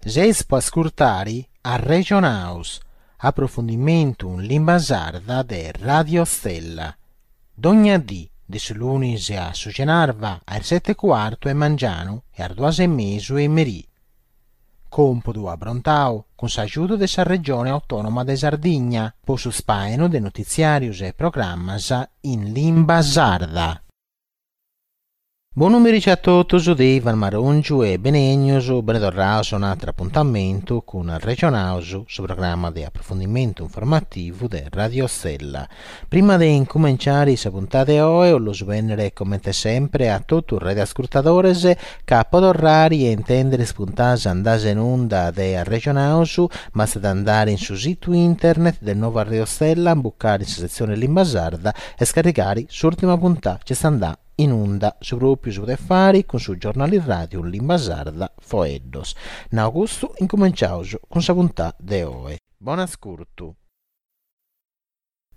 Seis po ascurtari Arrexonaus, aprofundimentu in limba sarda de Radio Stella. Dogna dì, de su lunis a su cenarba, a is seti e cuartu 'e mangianu e a is duas e mesu 'e merì. Còmpudu abrontau cun s'agiudu de sa Regione Autònoma de Sardigna po su spàinu de notitziàrius e programmas in limba sarda. Bonu merici a totus de Ivan Marongiu e benènnius, bene torraus a un'atru apuntamentu cun Arrexonaus, su programma de aprofundimentu informativu de Radio Stella. Prima de incumenciare sa puntada 'e oe 'ollu bènnere comente sempre a totu is radioascurtadores ca po torrare a intèndere is puntadas andadas in unda de Arrexonaus bastat andare in su situ internet de Nova Radio Stella, imbucare in sa setzione limba sarda e scarrigare s'ùrtima puntada chi est andada in unda, su pròpiu si podet fare cun su giornali ràdiu in limba sarda Foeddos. Nau custu, incumenciaus cun sa puntada de oe. Bon'ascurtu.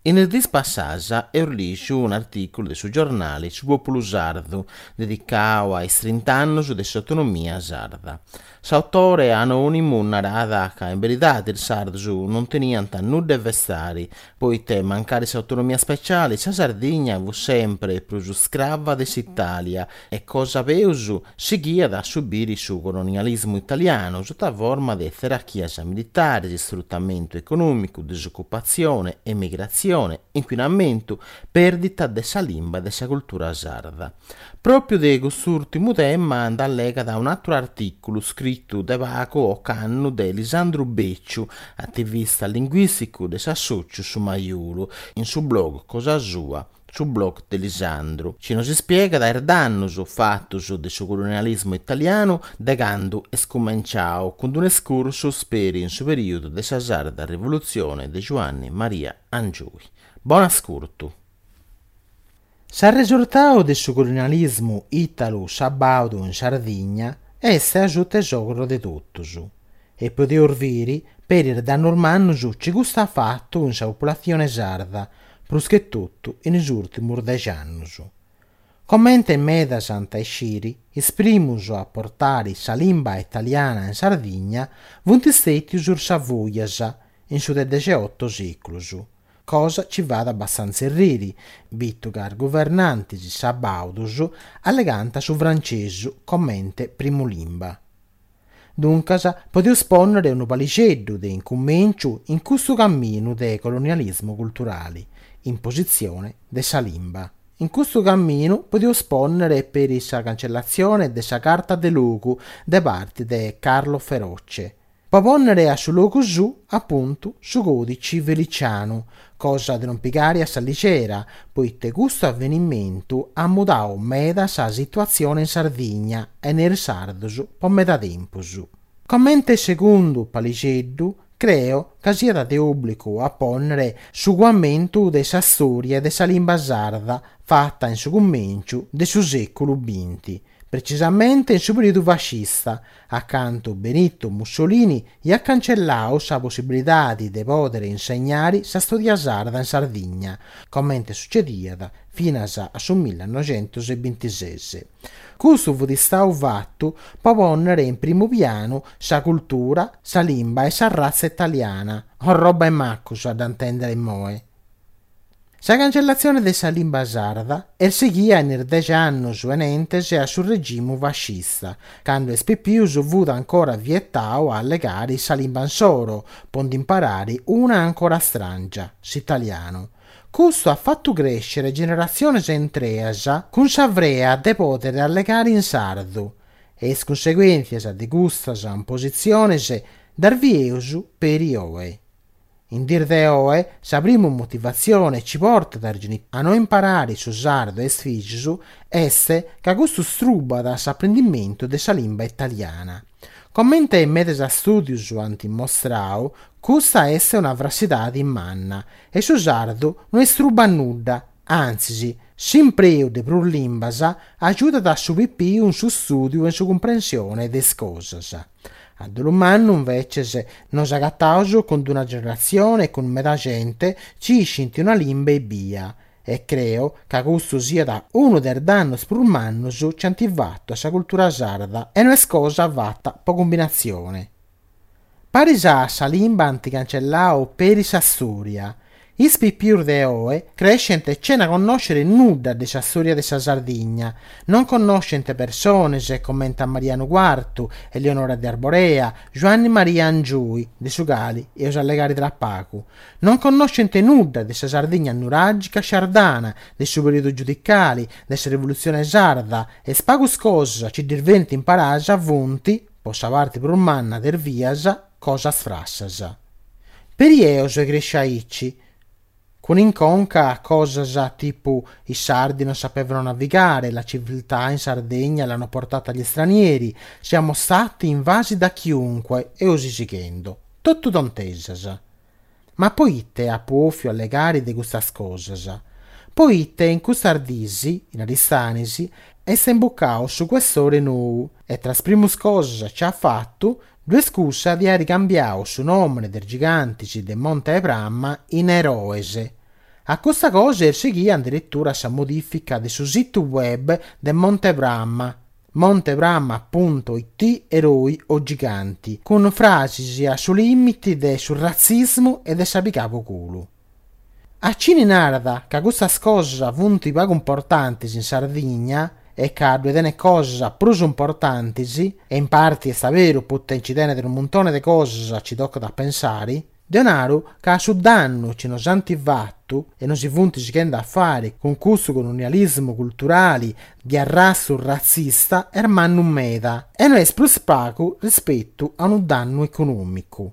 In is diis passadas eus lìgiu un'artìculu de su giornali Su Pòpulu Sardu, dedicau a is trint'annus de s'autonomia sarda. S'autore anònimu narat ca in beridadi is sardus non teniant nudda 'e festari, poite mancari s'autonomia speciali sa Sardigna fut sempri prus scrava de s'Italia e cosa peus sighiat a subiri su colonialismu italianu sutta forma de tzerachias militaris, isfrutamentu econòmicu, disocupatzione, emigratzione, incuinamentu, pèrdita de sa limba e de sa cultura sarda. Pròpiu de cust'ùrtimu tema nd'allegat un'àteru artìculu scritu de pagu ocannu de Lisandru Becciu, ativista linguìsticu de s'assòtziu Su Majolu, in su blog cosa sua, Su blog de Lisandru, chi nos ispiegat is dannus fatus de su colonialismu italianu de candu est cumenciau cun d'un'escursus peri in su perìodu de sa Sarda Rivolutzione de Giuanni Maria Angioy. Bon'ascurtu! S'arresurtau de su colonialismu italu-sabaudu in Sardigna est a suta is ogros de totus e podeus biri peri is dannus mannus chi custu at fatu in sa populatzione sarda, prus che totu in is ùrtimus dex'annus. Comente medas ant a isciri, is primus a portari sa limba italiana in Sardigna funt stètius is Savoias, in su de dexeoto sèculus. Cosa chi fait abbastanza erriri, bitu ca is guvernantis sabaudus allegànt su francesu comente primu limba. Duncas podeus pònnere unu palixeddu de incumenciu in custu caminu de colonialismu culturali, impositzione de sa limba. In custu caminu podeus pònnere peri sa cancellatzione de sa Carta de Logu de parti de Carlo Feroce, Po pònnere a su logu suu, apuntu, su còdici Felicianu, cosa de non pigare a sa ligera, poite custu avenimentu at mudau meda sa situatzione in Sardigna e ne is sardos po meda tempus. Comente segundu palixeddu, creo ca siat de òbligu a pònnere su cuamentu de sa stòria de sa limba sarda fata in su cumènciu de su sèculu binti, precisamente in su perìodu fascista, a candu Benito Mussolini iat cancellau sa possibilidadi de pòdere insegnari sa stòria sarda in Sardigna, comente sucediat finas a su millanoxentusbintises. Custu fut istau fatu po pònnere in primu pianu sa cultura, sa limba e sa ratza italiana, orroba 'e macus a dda intèndere immoe. Sa cancellatzione de sa limba sarda est sighia in is dex'annus 'enentes a su regimu fascista, candu a is pipius fut ancora vietau a allegare sa limba insoro po nd'imparare una ancora stràngia, s'italianu. Custu at fatu crèschere generatziones intreas cun sa frea de pòdere allegare in sardu, e is cunseguèntzias de custas impositziones ddas bieus peri oe. In dies de oe, sa primu motivatzione chi portat is genitores a no imparare su sardu a is fìgios est ca custu strubat s'aprendimentu de sa limba italiana. Comente medas stùdios ant mostrau, custa est una frassidade manna e su sardu no istrubat nudda, antzis, s'impreu de prus limbas agiudat su pipiu in su stùdiu e in su cumprensione de is cosas. A dolu mannu, inveces, nos agataus cun d'una generatzione cun meda gente chi iscint una limba ebbia, e creo ca custu siat unu de is dannos prus mannus chi ant fatu a sa cultura sarda e no est cosa fata po cumbinatzione. Paris a sa limba ant cancellau peri sa storia. Is pipius de oe crescent chena connòscere nudda de sa storia de sa Sardigna. Non connoschent persones comente a Marianu Cuartu, Eleonora de Arborea, Giuanni Maria Angioy, de su cali eus a allegare tra pagu. Non connoschent nudda de sa Sardigna nuràgica shardana, de su perìodu giudicali, de sa rivolutzione sarda, e is pagus cosas chi ddis benint imparadas funt, po sa parti prus manna de is bias, cosas frassas. Peri eo soi cresciu aici, cun in conca cosas tipu i sardi non sapevano navigare, la civiltà in Sardegna l'hanno portata gli stranieri, siamo stati invasi da chiunque e 'osi sighendo. Totu tontesas. Ma poite apu 'ofiu allegare de custas cosas? Poite in custas dis, in Aristanis, est imbucau su questore nou e tra is primus cosas chi at fatu ddu est cussa de airi cambiau su nomene de is gigantis de Monte 'e Prama in eroes. A custa cosa est sighia inderetura sa modifica de su situ web de Monte Prama, monteprama punto it eroi o giganti, cun frasis a su limiti de su ratzismu e de sa pigà po culu. A chini narat ca custas cosas funt pagu importantis in Sardigna e ca ddue tenet cosas prus importantis, e in parti est aberu poita nci tenet unu muntone de cosas chi tocat a pensari, Deo naru ca su dannu chi nos ant fatu e nos funt sighende a fare cun custu colonialismu culturali de arrastu ratzista est mannu meda e no est prus pagu rispetu a unu dannu econòmicu.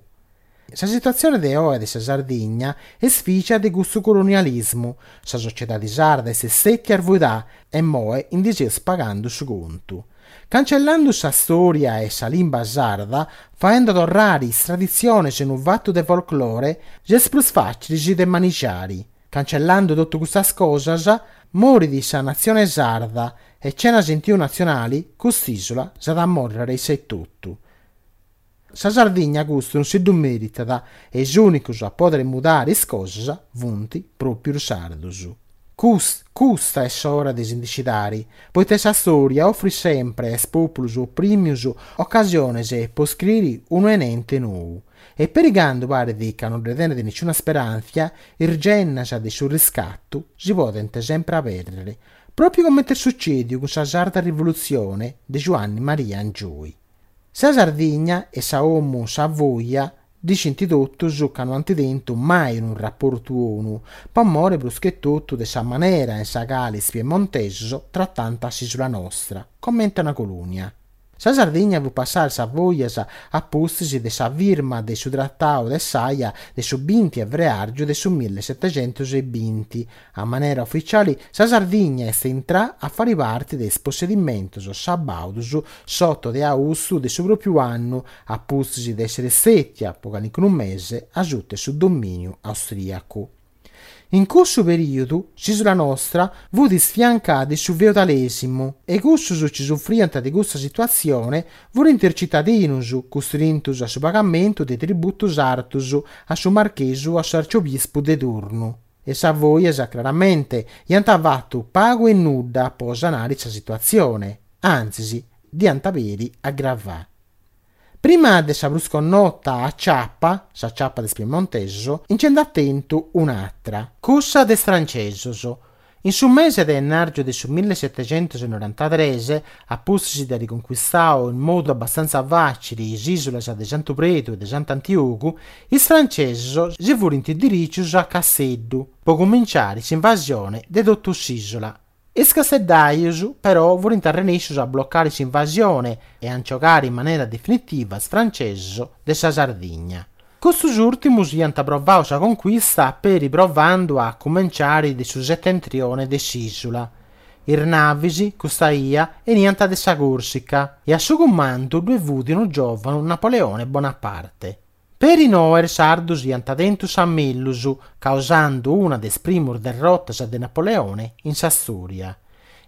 Sa situatzione de oe de sa Sardigna est fìgia de custu colonialismu, sa sociedadi sarda est stètia arvuidà e immoe ndi seus pagandu su contu. Cancellandu sa stòria e sa limba sarda, faendo torrare is traditziones unu fatu de folclore, est prus fàcilis de manixari. Cancellandu totu custas cosas, morit sa natzione sarda e chena sentiu natzionali cust'ìsula s'at a mòrrere issa etotu. Sa Sardigna custu non si ddu meritat e is ùnicos a pòdere mudare is cosas funt pròpiu is sardos. Custa est s'ora de si ndi scidare, poita sa stòria ofrit sempre a is pòpulus oprimius ocasiones po scriri unu 'enente nou. E peri candu paret ca non dde tenet nisciuna speràntzia, is gennas de su riscatu si podent sempre abèrrere, pròpiu comente est sutzèdiu cun sa Sarda Rivolutzione de Giuanni Maria Angioy. Sa Sardigna e sa 'Omu Savoia dd'iscint totus ca no ant tentu mai unu raportu 'onu, po more prus che totu de sa manera in sa cale is piemontesos tratant s'ìsula nostra, comente una colònia. Sa Sardigna fut passada a is Savoias a pustis de sa firma de su Tratau de s'Aia de su binti 'e freàrgiu de su millesetecentos e binti. A manera uficiali sa Sardigna est intrà a fari parti de is possedimentos sabàudus s'oto de austu de su pròpiu annu, a pustis de èssere stètia po calincunu mese asuta 'e su domìniu austrìacu. In cussu perìodu s'ìsula nostra fut isfiancada de su feudalèsimu e cussus chi sufriant de custa situatzione furint is citadinus custrintus a su pagamentu de tributus artus a su marchesu o a s'arciobispu de turnu. Is Savoias, craramente, iant fatu pagu e nudda po sanare sa situatzione, antzis, dd'iant peri agravà. Prima de sa prus connota aciapa, s'aciapa de is piemontesos, nci nd'at tentu un'atra, cussa de is francesos. In su mese de ennàrgiu de su millesetecentos e norantatres, a pustis de airi concuistau in modu abbastanza fàcili is ìsulas de Santu Predu e de Sant'Antiogu, is francesos si furint dirìgius a Casteddu po cuminciari s'invasione de totu s'ìsula. Is casteddajos però furint arrenèscius a blocare s'invasione e a nciogare in manera definitiva is francesos de sa Sardigna. Custus ùrtimus iant provau sa concuista peri provandu a cumenciare de su setentrione de s'ìsula. Is navis, custa 'ia, 'eniant de sa Còrsica e a su cumandu ddue fut unu giòvanu Napoleone Bonaparte. Peri innoe is sardus iant tentu sa mellus, causandu una de is primus derrotas de Napoleone in sa stòria.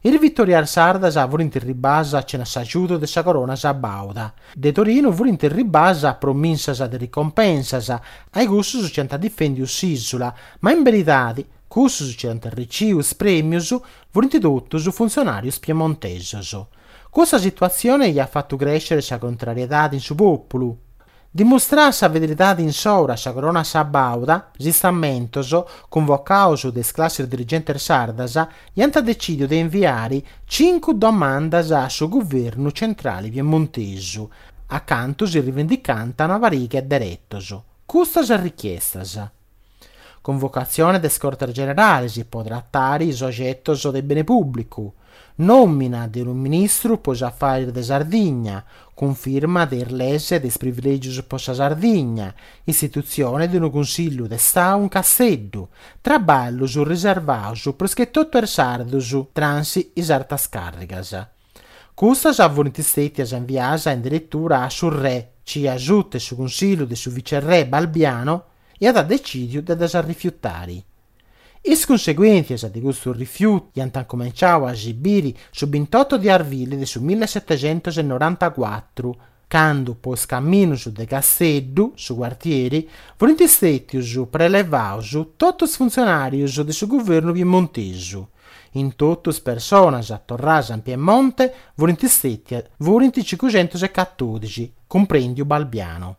Is vitòrias sardas furint erribas chena s'agiudu de sa corona sabàuda. De Torinu furint erribas promissas de ricompensas a i cussus chi ant difendiu s'ìsula, ma in beridadi cussus chi ant arriciu is prèmius furint totus funtzionàrius piemontesos. Custa situatzione iat fatu crèscere sa contrariedade in su pòpulu. Dimustrà sa fidelidadi insoru a sa corona sabauda, is Istamentos, cunvocaus de is classis dirigentes sardas, iant decìdiu de inviari cincu domandas a su guvernu centrali piemontesu, acantu si rivendicànt una pariga 'e deretos. Custas richiestas. Convocatzione de is Cortes Generales po tratare is ogetos de bene pùblicu, nòmina de unu ministru po is afaris de Sardigna, cunfirma de is leis de is privilègios po sa Sardigna, istitutzione de unu Cunsillu de Stau in Casteddu, traballus riservaus prus che totu a is sardus, transi is artas càrrigas. Custas furint stètias inviadas in deretura a su re, chi asuta 'e su cunsillu de su vicerrè Balbiano, iat decìdiu de ddas rifiutari. Is cunseguèntzias de custu rifiutu iant incumenciau a si biri su bintoto de arbili de su millisetecentonorantacuatru, candu po is caminus de Casteddu, su cuartieri, furint stètius prelevaus totu is funtzionàrius de su guvernu piemontesu. In totu is personas torradas in Piemonte furint stètias furint cincuxentus e catodixi, cumprendiu Balbiano.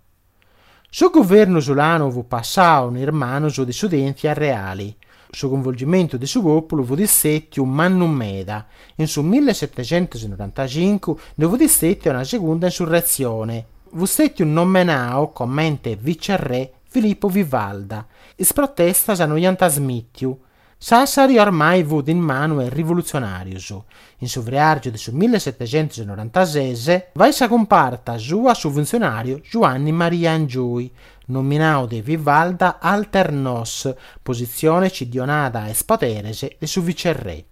Su guvernu isulanu fut passau in is manus de s'udièntzia reali. Su cunvolgimentu de su pòpulu fut stètiu mannu meda. In su millisetecentonorantacincu ndi fut stètia una segunda insurretzione. Fut stètiu nomenau comente vicerrè Filippo Vivalda. Is protestas no iant smìtiu. Sassari ormai fut in manu 'e is rivolutzionàrius. In su freàrgiu de su millisetecentonorantases fait sa cumparta sua su funtzionàriu Giuanni Maria Angioy, nominau de Vivalda alter nos, positzione chi ddi 'onat is poderes de su vicerrè.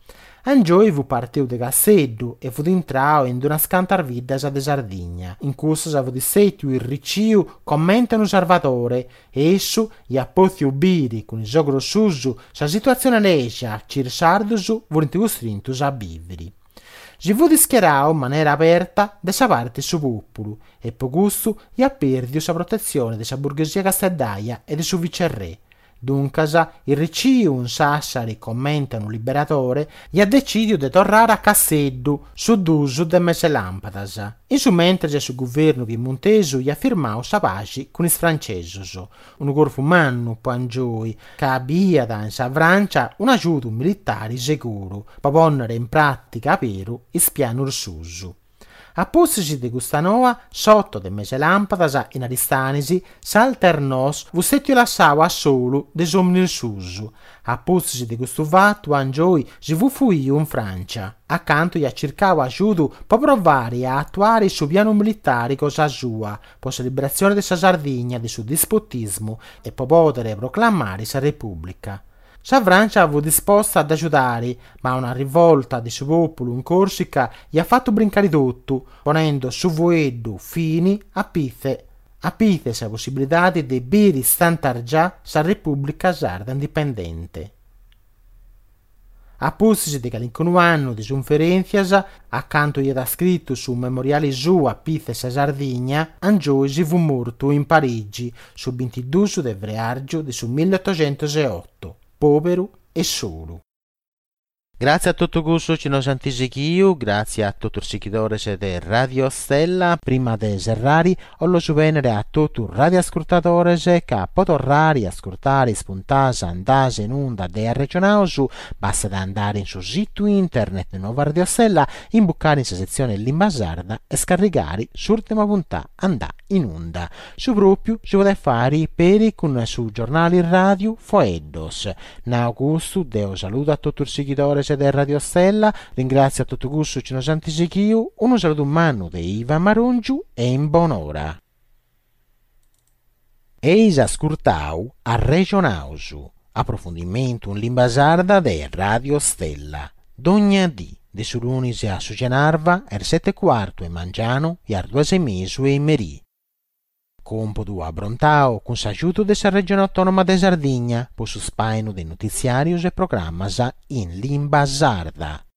Angioy fut partiu de Casteddu e fut intrau in d'unas cantas biddas de Sardigna. In cussas fut stètiu irriciu comente unu sarvadore e issu iat pòtziu biri cun is ogros suus sa situatzione lègia chi is sardus furint custrintus a bìviri. Si fut ischierau in manera aberta de sa parte 'e su pòpulu e po custu iat pèrdiu sa protetzione de sa burghesia casteddaia e de su vicerrè. Duncas, irriciu in Sassari comente a unu liberadore, iat decìdiu de torrare a Casteddu su dus de mes'e làmpadas. In su mentres su guvernu piemontesu iat firmau sa paxi cun is francesos, unu corfu mannu po Angioy, ca biiat in sa Francia un'agiudu militari seguru po pònnere in pràtica aberu is pianus suus. A pustis de custa noa, s'oto de mes'e làmpadas in Aristanis, s'Alter Nos fut stètiu lassau a solu de is òminis suus. A pustis de custu fatu Angioy si fut fuiu in Frància, acantu iat circau agiudu po provare a atuare su pianu militari cosa sua po sa liberatzione de sa Sardigna de su dispotismu e po pòdere proclamare sa Repùblica. Sa Frància fut disposta a dd'agiudare, ma una rivolta de su pòpulu in Còrsica iat fatu brincare totu, ponendo su fueddu fini a pitze a pitze sa possibilidade de biri stantargià sa Repùblica Sarda Indipendente. A pustis de calincunu annu de sunferèntzias, acantu iat scritu su memoriali suu a pitze sa Sardigna, Angioy si fut mortu in Parigi su bintidus de freàrgiu de su milliotoxentoseoto, pòberu e solu. Gratzie a totu cussos chi nos ant sighiu, gratzie a totu is sighidores de Radio Stella. Prima de serrare, 'ollo bènnere a totu is radioascurtadores ca po torrare a ascurtare is puntadas andadas in unda de Arregionaus bastat a andare in su situ internet de Nuova Radio Stella, imbucare in sa setzione Limba Sarda e scarrigare s'ùrtima puntà andà in unda. Su pròpiu si podet fàere peri cun su giornale ràdiu Foeddos. Nau custu, deo saludo a totu is sighidores de Radio Stella, ringràtzio a totu cussos chi nos ant sighiu, unu saludu mannu de Ivan Marongiu e in bonora. Eis ascurtau Arrexonaus, aprofundimentu in limba sarda de Radio Stella, dogna dì, de su lunis a su cenarba, a is seti e cuartu 'e mangianu e a is duas e mesu 'e merì. Còmpodu abrontau cun s'agiudu de sa Regione Autònoma de Sardigna po su spàinu de notitziàrios e programmas in limba sarda.